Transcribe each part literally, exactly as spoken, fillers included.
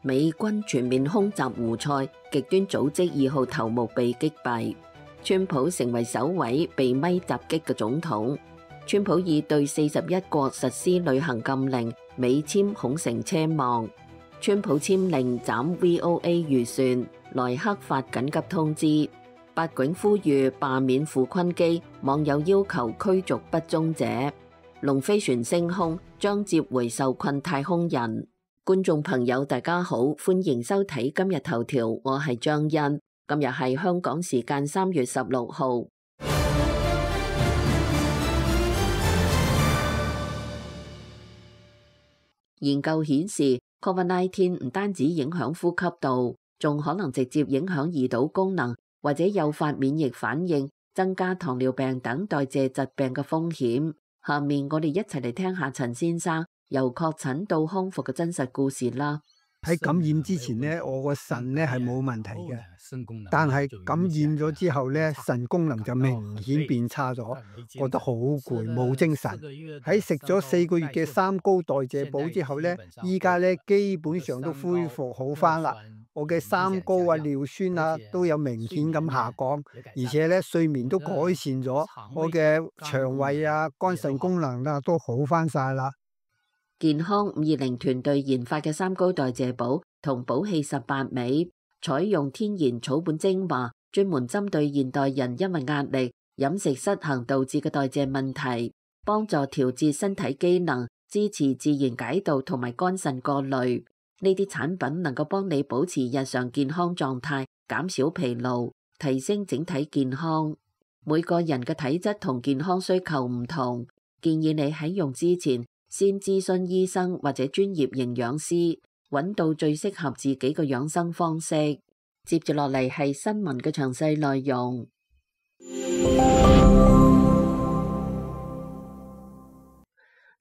美軍全面空襲胡塞，極端組織二號頭目被擊斃。川普成為首位被咪襲擊嘅總統。川普已對四十一國實施旅行禁令，美簽恐成奢望。川普簽令斬 V O A 預算，萊克發緊急通知。八囧呼籲罷免傅昆基，網友要求驅逐不忠者。龍飛船升空，將接回受困太空人。觀眾朋友大家好，歡迎收睇今日頭條，我係張欣。今日係香港時間三月十六號。研究顯示 ，Covid 十九 唔單止影響呼吸道，仲可能直接影響胰島功能，或者誘發免疫反應，增加糖尿病等代謝疾病嘅風險。下面我哋一齊嚟聽下陳先生由確診到康復嘅真實故事啦。喺感染之前咧，我個腎咧係冇問題嘅，但係感染咗之後咧，腎功能就明顯變差咗，覺得好攰，冇精神。喺食咗四個月嘅三高代謝補之後咧，依家咧基本上都恢復好返啦。我嘅三高啊、尿酸啊都有明顯咁下降，而且咧睡眠都改善咗，我嘅腸胃啊、肝腎功能啊都好返晒啦。健康五二零團隊研發嘅三高代謝補同補氣十八味，採用天然草本精華，專門針對現代人因為壓力、飲食失衡導致嘅代謝問題，幫助調節身體機能，支持自然解毒同埋肝腎過濾。呢啲產品能夠幫你保持日常健康狀態，減少疲勞，提升整體健康。每個人嘅體質同健康需求唔同，建議你喺用之前先諮詢醫生或者專業營養師，揾到最適合自己嘅養生方式。接住落嚟係新聞嘅詳細內容。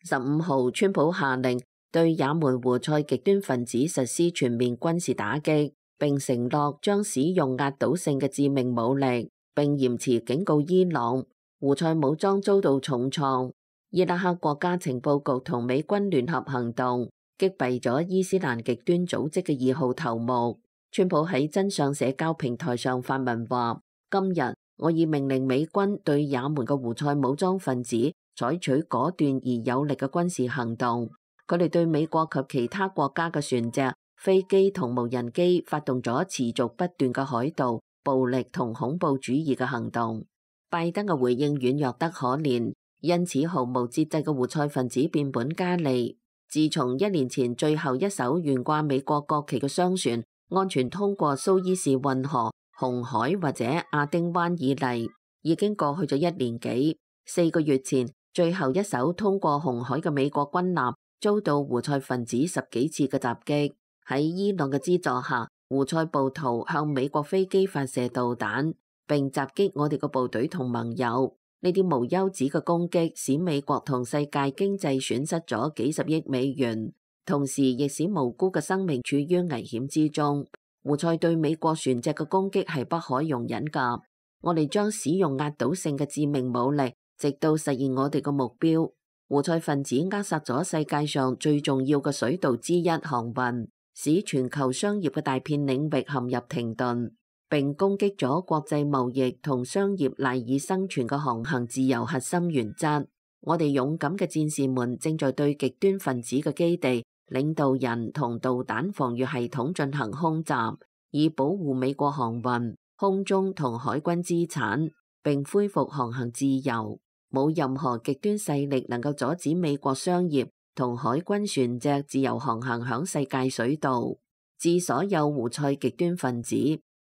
十五號，川普下令對也門胡塞極端分子實施全面軍事打擊，並承諾將使用壓倒性嘅致命武力，並嚴詞警告伊朗，胡塞武裝遭到重創。伊拉克國家情報局同美軍聯合行動，擊斃咗伊斯蘭極端組織嘅二號頭目。川普喺真相社交平台上發文話：今日我已命令美軍對也門嘅胡塞武裝分子採取果斷而有力嘅軍事行動。佢哋對美國及其他國家嘅船隻、飛機同無人機發動咗持續不斷嘅海盜、暴力同恐怖主義嘅行動。拜登嘅回應軟弱得可憐。因此毫無節制嘅胡塞分子變本加厲。自從一年前最後一艘懸掛美國國旗嘅商船安全通過蘇伊士運河、紅海或者亞丁灣以嚟，已經過去咗一年幾。四個月前，最後一艘通過紅海嘅美國軍艦遭到胡塞分子十幾次嘅襲擊。喺伊朗嘅資助下，胡塞暴徒向美國飛機發射導彈，並襲擊我哋嘅部隊同盟友。呢啲無休止嘅攻擊使美國同世界經濟損失咗幾十億美元，同時亦使無辜嘅生命處於危險之中。胡塞對美國船隻嘅攻擊係不可容忍㗎。我哋將使用壓倒性嘅致命武力，直到實現我哋嘅目標。胡塞分子扼殺咗世界上最重要嘅水道之一航運，使全球商業嘅大片領域陷入停頓，並攻擊咗國際貿易同商業賴以生存嘅航行自由核心原則。我哋勇敢嘅戰士們正在對極端分子嘅基地、領導人同導彈防禦系統進行空襲，以保護美國航運、空中同海軍資產，並恢復航行自由。冇任何極端勢力能夠阻止美國商業同海軍船隻自由航行響世界水道。致所有胡塞極端分子，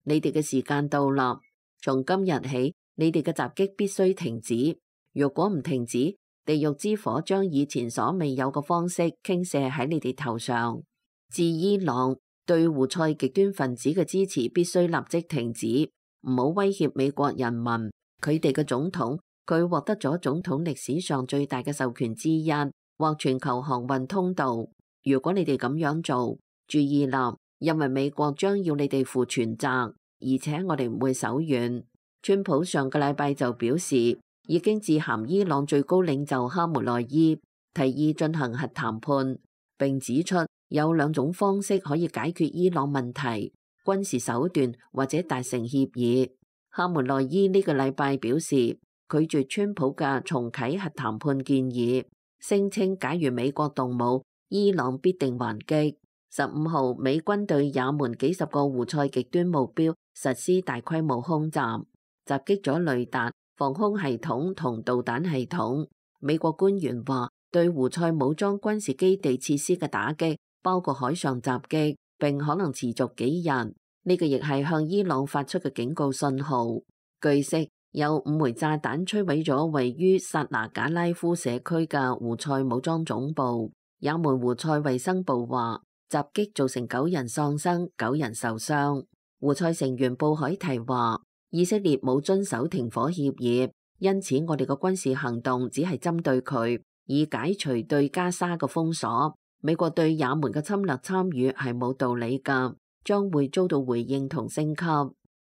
你哋嘅時間到啦！從今日起，你哋嘅襲擊必須停止。如果唔停止，地獄之火將以前所未有嘅方式傾瀉喺你哋頭上。自伊朗對胡塞極端分子嘅支持必須立即停止，唔好威脅美國人民。佢哋嘅總統，佢獲得咗總統歷史上最大嘅授權之一，或全球航運通道。如果你哋咁樣做，注意啦！因為美國將要你哋負全責，而且我哋唔會手軟。川普上個禮拜就表示，已經致函伊朗最高領袖哈梅內伊，提議進行核談判，並指出有兩種方式可以解決伊朗問題：軍事手段或者達成協議。哈梅內伊呢個禮拜表示拒絕川普嘅重啟核談判建議，聲稱假如美國動武，伊朗必定還擊。十五號，美軍對也門幾十個胡塞極端目標實施大規模空襲，襲擊咗雷達、防空系統同導彈系統。美國官員話，對胡塞武裝軍事基地設施嘅打擊包括海上襲擊，並可能持續幾日。呢個亦係向伊朗發出嘅警告信號。據悉，有五枚炸彈摧毀咗位於薩那賈拉夫社區嘅胡塞武裝總部。也門胡塞衛生部話，襲擊造成九人喪生，九人受傷。胡塞成員布海提話，以色列冇遵守停火協議，因此我哋嘅軍事行動只係針對佢，以解除對加沙嘅封鎖。美國對也門嘅侵略參與係冇道理㗎，將會遭到回應同升級。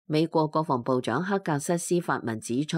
美國國防部長克格瑟斯發文指出，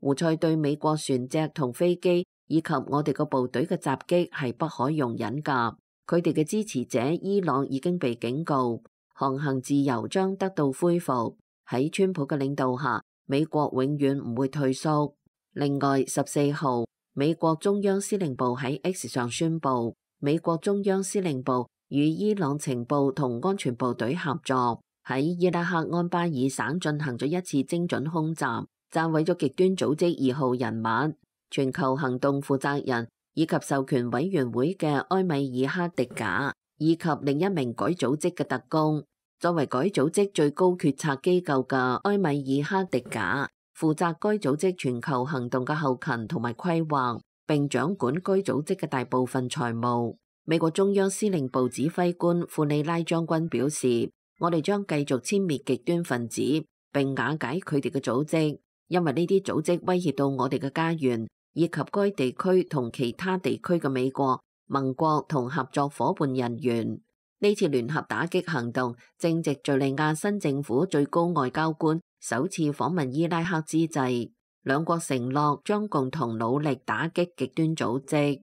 胡塞對美國船隻同飛機以及我哋個部隊嘅襲擊係不可容忍㗎。佢哋嘅支持者伊朗已經被警告，航行自由將得到恢復。喺川普嘅領導下，美國永遠唔會退縮。另外，十四號，美國中央司令部喺 X 上宣布，美國中央司令部與伊朗情報同安全部隊合作，喺伊拉克安巴爾省進行咗一次精準空襲，炸毀咗極端組織二號人物、全球行動負責人以及授權委員會嘅埃米爾哈迪賈，以及另一名該組織嘅特工。作為該組織最高決策機構嘅埃米爾哈迪賈，負責該組織全球行動嘅後勤同埋規劃，並掌管該組織嘅大部分財務。美國中央司令部指揮官庫里拉將軍表示，我哋將繼續殲滅極端分子，並瓦解佢哋嘅組織，因為呢啲組織威脅到我哋嘅家園，以及該地區同其他地區嘅美國、盟國同合作伙伴人員。呢次聯合打擊行動正值敘利亞新政府最高外交官首次訪問伊拉克之際，兩國承諾將共同努力打擊極端組織。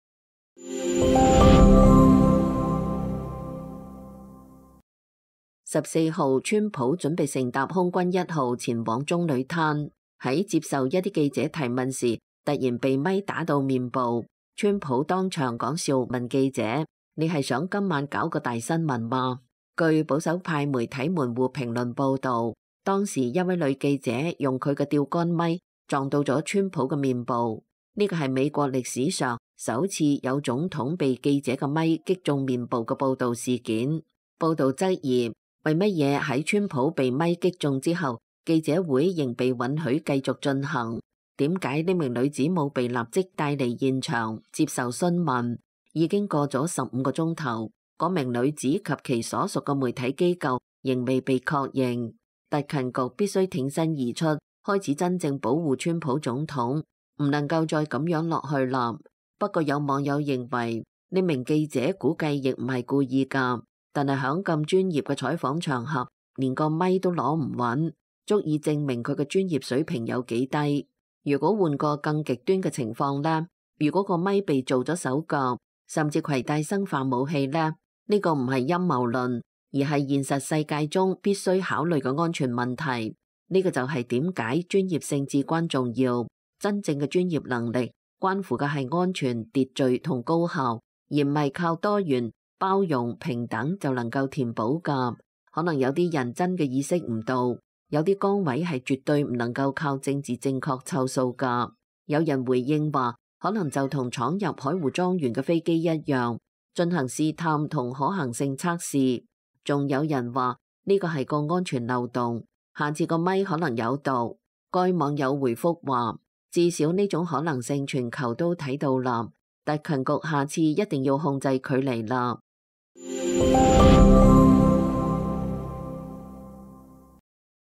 十四號，川普準備乘搭空軍一號前往棕櫚灘，喺接受一啲記者提問時，突然被咪打到面部。川普當場講笑問記者：你係想今晚搞個大新聞嗎？據保守派媒體門戶評論報導，當時一位女記者用佢嘅釣竿咪撞到咗川普嘅面部，呢個係美國歷史上首次有總統被記者嘅咪擊中面部嘅報導事件。報導質疑，為乜嘢喺川普被咪擊中之後，記者會仍被允許繼續進行？點解呢名女子冇被立即帶離現場接受詢問？已經過咗十五個鐘頭，嗰名女子及其所屬嘅媒體機構仍未被確認。特勤局必須挺身而出，開始真正保護川普總統，唔能夠再咁樣落去啦。不過有網友認為呢名記者估計亦唔係故意㗎，但係響咁專業嘅採訪場合，連個咪都攞唔穩，足以證明佢嘅專業水平有幾低。如果換個更極端嘅情況呢？如果個咪被做咗手腳，甚至攜帶生化武器呢？呢個唔係陰謀論，而係現實世界中必須考慮嘅安全問題。呢個就係點解專業性至關重要。真正嘅專業能力關乎嘅係安全、秩序同高效，而唔係靠多元、包容、平等就能夠填補㗎。可能有啲人真嘅意識唔到，有啲崗位係絕對唔能夠靠政治正確湊數㗎。有人回應話，可能就同闖入海湖莊園嘅飛機一樣，進行試探同可行性測試。仲有人話呢個係個安全漏洞，下次個咪可能有毒。該網友回覆話，至少呢種可能性全球都睇到啦，特勤局下次一定要控制距離啦。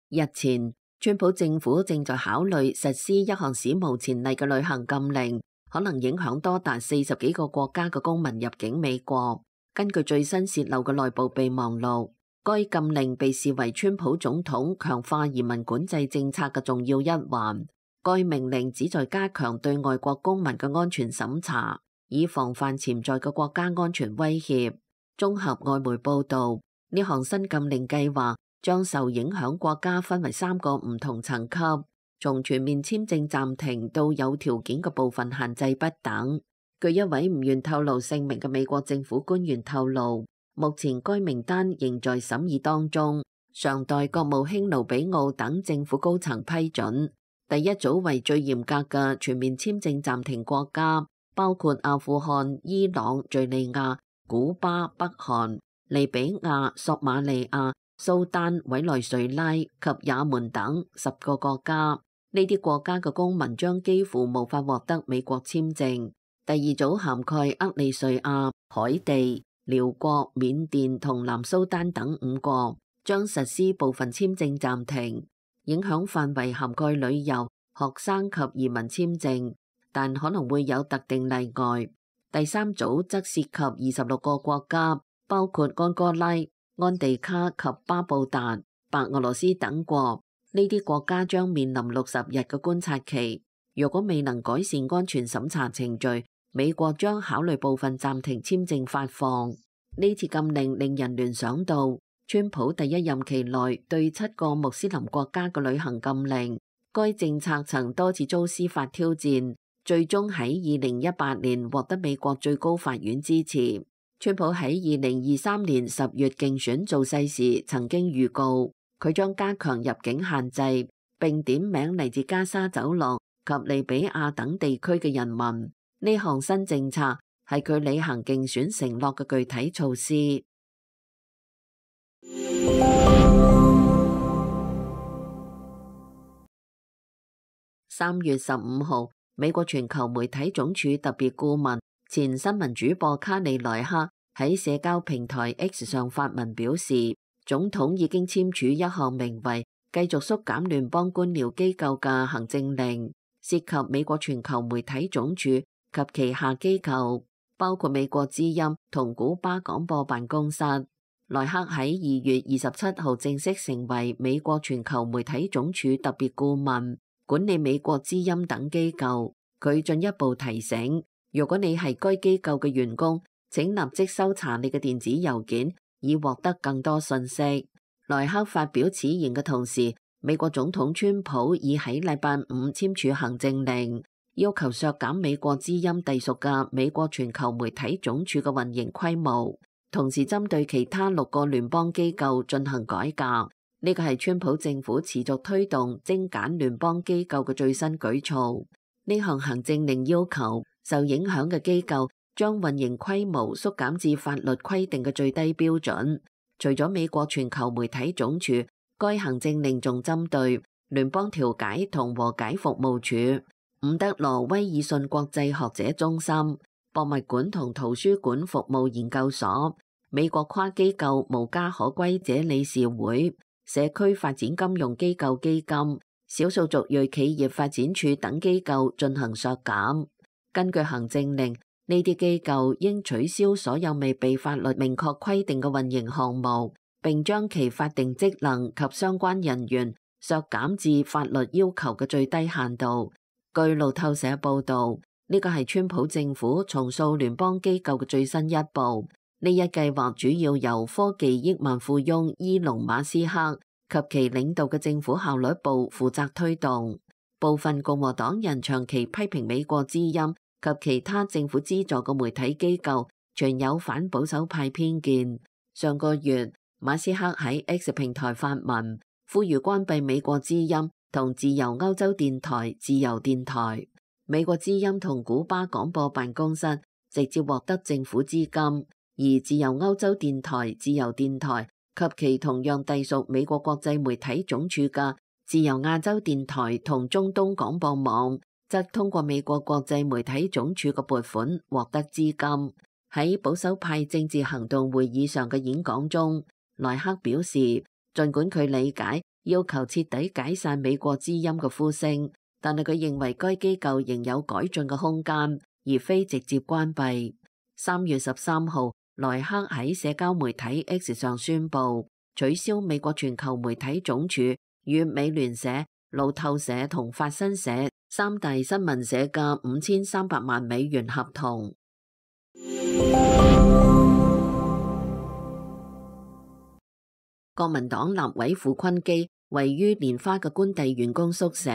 日前，川普政府正在考慮實施一項史無前例嘅旅行禁令，可能影響多達四十幾個國家嘅公民入境美國。根據最新洩漏嘅內部備忘錄，該禁令被視為川普總統強化移民管制政策嘅重要一環。該命令旨在加強對外國公民嘅安全審查，以防範潛在嘅國家安全威脅。綜合外媒報導，呢項新禁令計劃將受影響國家分為三個唔同層級，從全面簽證暫停到有條件嘅部分限制不等。據一位唔願透露姓名嘅美國政府官員透露，目前該名單仍在審議當中，尚待國務卿盧比奧等政府高層批准。第一組為最嚴格嘅全面簽證暫停國家，包括阿富汗、伊朗、敘利亞、古巴、北韓、利比亞、索馬利亞、蘇丹、委內瑞拉及也門等十個國家。呢啲國家嘅公民將幾乎無法獲得美國簽證。第二組涵蓋厄利瑞亞、海地、寮國、緬甸同南蘇丹等五國，將實施部分簽證暫停，影響範圍涵蓋旅遊、學生及移民簽證，但可能會有特定例外。第三組則涉及二十六個國家，包括安哥拉、安地卡及巴布達、白俄羅斯等國。呢啲國家將面臨六十日嘅觀察期。若果未能改善安全審查程序，美國將考慮部分暫停簽證發放。呢次禁令令人聯想到川普第一任期內對七個穆斯林國家嘅旅行禁令，該政策曾多次遭司法挑戰，最終喺二零一八年獲得美國最高法院支持。川普喺二零二三年十月競選造勢時曾經預告，佢將加強入境限制，並點名嚟自加沙走廊及利比亞等地區嘅人民。呢項新政策係佢履行競選承諾嘅具體措施。三月十五號，美國全球媒體總署特別顧問、前新聞主播卡里萊克喺社交平台 X 上發文表示，總統已經簽署一項名為繼續縮減聯邦官僚機構嘅行政令，涉及美國全球媒體總署及旗下機構，包括美國之音同古巴廣播辦公室。萊克喺二月二十七號正式成為美國全球媒體總署特別顧問，管理美國之音等機構。佢進一步提醒，如果你係該機構嘅員工，請立即搜查你嘅電子郵件，以獲得更多信息。萊克發表此言嘅同時，美國總統川普已喺禮拜五簽署行政令，要求削減美國之音隸屬嘅美國全球媒體總署嘅運營規模，同時針對其他六個聯邦機構進行改革。呢個係川普政府持續推動精簡聯邦機構嘅最新舉措。呢項行政令要求受影響嘅機構將運營規模縮減至法律規定嘅最低標準。除咗美國全球媒體總署，該行政令仲針對聯邦調解同和解服務處、伍德羅威爾遜國際學者中心、博物館同圖書館服務研究所、美國跨機構無家可歸者理事會、社區發展金融機構基金、少數族裔企業發展處等機構進行削減。根據行政令，呢啲機構應取消所有未被法律明確規定嘅運營項目，並將其法定職能及相關人員削減至法律要求嘅最低限度。據路透社報導，呢個係川普政府重塑聯邦機構嘅最新一步。呢一計劃主要由科技億萬富翁伊隆馬斯克及其領導嘅政府效率部負責推動。部分共和黨人長期批評美國之音及其他政府資助嘅媒體機構存有反保守派偏見。上個月，馬斯克喺 X 平台發文，呼籲關閉美國之音同自由歐洲電台自由電台。美國之音同古巴廣播辦公室直接獲得政府資金，而自由歐洲電台自由電台及其同樣隸屬美國國際媒體總署嘅自由亞洲電台同中東廣播網，則通過美國國際媒體總署嘅撥款獲得資金。喺保守派政治行動會議上嘅演講中，萊克表示，儘管佢理解要求徹底解散美國之音嘅呼聲，但係佢認為該機構仍有改進嘅空間，而非直接關閉。三月十三號，萊克喺社交媒體 X 上宣布取消美國全球媒體總署與美聯社、路透社同法新社三大新聞社嘅五千三百萬美元合同。國民黨立委傅昆基位於蓮花嘅官邸員工宿舍，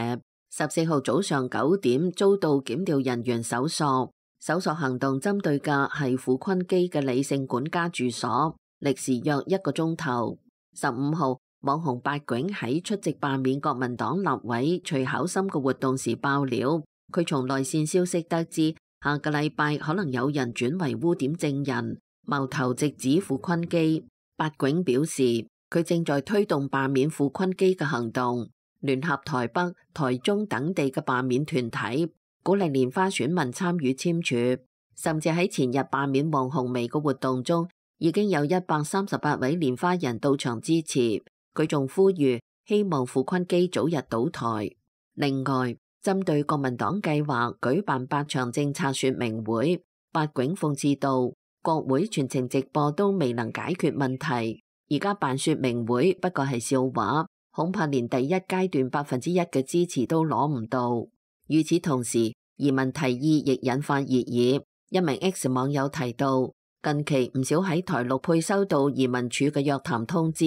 十四號早上九點遭到檢調人員搜索。搜索行動針對嘅係傅昆基嘅李姓管家住所，歷時約一個鐘頭。十五號，網紅八囧喺出席罷免國民黨立委徐巧芯嘅活動時爆料，佢從內線消息得知，下個禮拜可能有人轉為污點證人，矛頭直指傅昆基。八囧表示，佢正在推動罷免傅昆基嘅行動，聯合台北、台中等地嘅罷免團體，鼓勵蓮花選民參與簽署，甚至喺前日罷免黃紅薇嘅活動中，已經有一百三十八位蓮花人到場支持。佢仲呼籲希望傅昆基早日倒台。另外，針對國民黨計劃舉辦八場政策說明會，八囧諷刺道，國會全程直播都未能解決問題，而家辦說明會不過係笑話，恐怕連第一階段百分之一嘅支持都攞唔到。與此同時，移民提議亦引發熱議。一名 X 網友提到，近期唔少喺台陸配收到移民署嘅約談通知。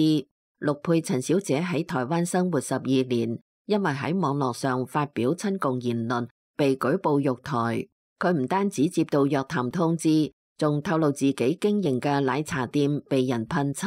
陸配陳小姐喺台灣生活十二年，因為喺網絡上發表親共言論，被舉報辱台。佢唔單止接到約談通知，仲透露自己經營嘅奶茶店被人噴漆，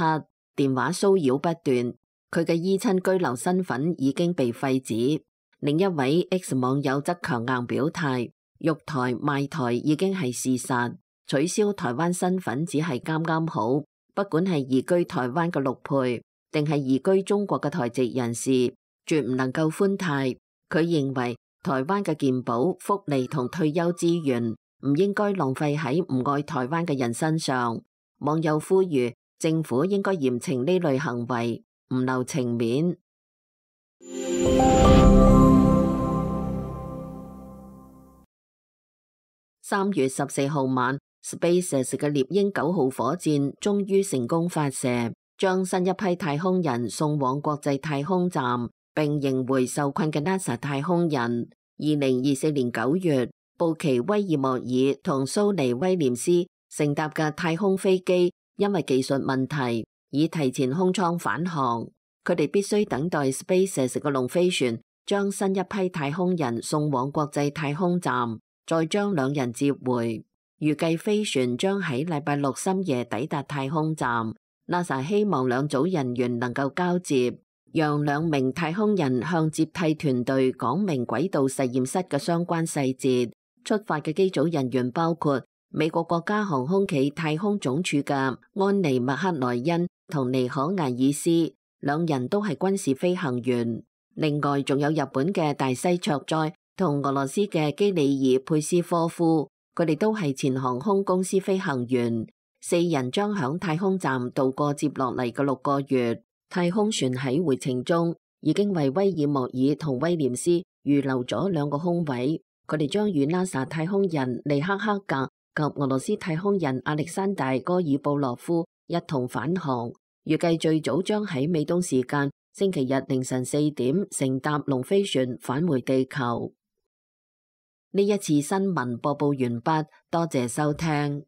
電話騷擾不斷。佢嘅依親居留身份已經被廢止。另一位 X 網友則強硬表態，辱台賣台已經係事實，取消台灣身份只係啱啱好。不管係移居台灣嘅陸配，定係移居中國嘅台籍人士，絕唔能夠寬泰。佢認為台灣嘅健保、福利同退休資源唔應該浪費喺唔愛台灣嘅人身上。網友呼籲政府應該嚴懲呢類行為，唔留情面。三月十四號晚 ，SpaceX 嘅獵鷹九號火箭終於成功發射，將新一批太空人送往國際太空站，並迎回受困嘅 NASA 太空人。二零二四年九月，布奇威爾莫爾同蘇尼威廉斯乘搭嘅太空飛機因為技術問題，已提前空艙返航。佢哋必須等待 SpaceX 嘅龍飛船將新一批太空人送往國際太空站，再將兩人接回。預計飛船將喺禮拜六深夜抵達太空站。NASA 希望兩組人員能夠交接，讓兩名太空人向接替團隊講明軌道實驗室嘅相關細節。出發嘅機組人員包括美國國家航空暨太空總署嘅安妮麥克萊恩同尼可艾爾斯，兩人都係軍事飛行員。另外仲有日本嘅大西卓哉同俄羅斯嘅基里爾佩斯科夫，佢哋都係前航空公司飛行員。四人將響太空站度過接落嚟嘅六個月。太空船喺回程中已經為威爾莫爾同威廉斯預留咗兩個空位，佢哋將與 NASA 太空人尼克克格及俄羅斯太空人亞歷山大戈爾布洛夫一同返航，預計最早將喺美東時間星期日凌晨四點乘搭龍飛船返回地球。呢一次新聞播報完畢，多謝收聽。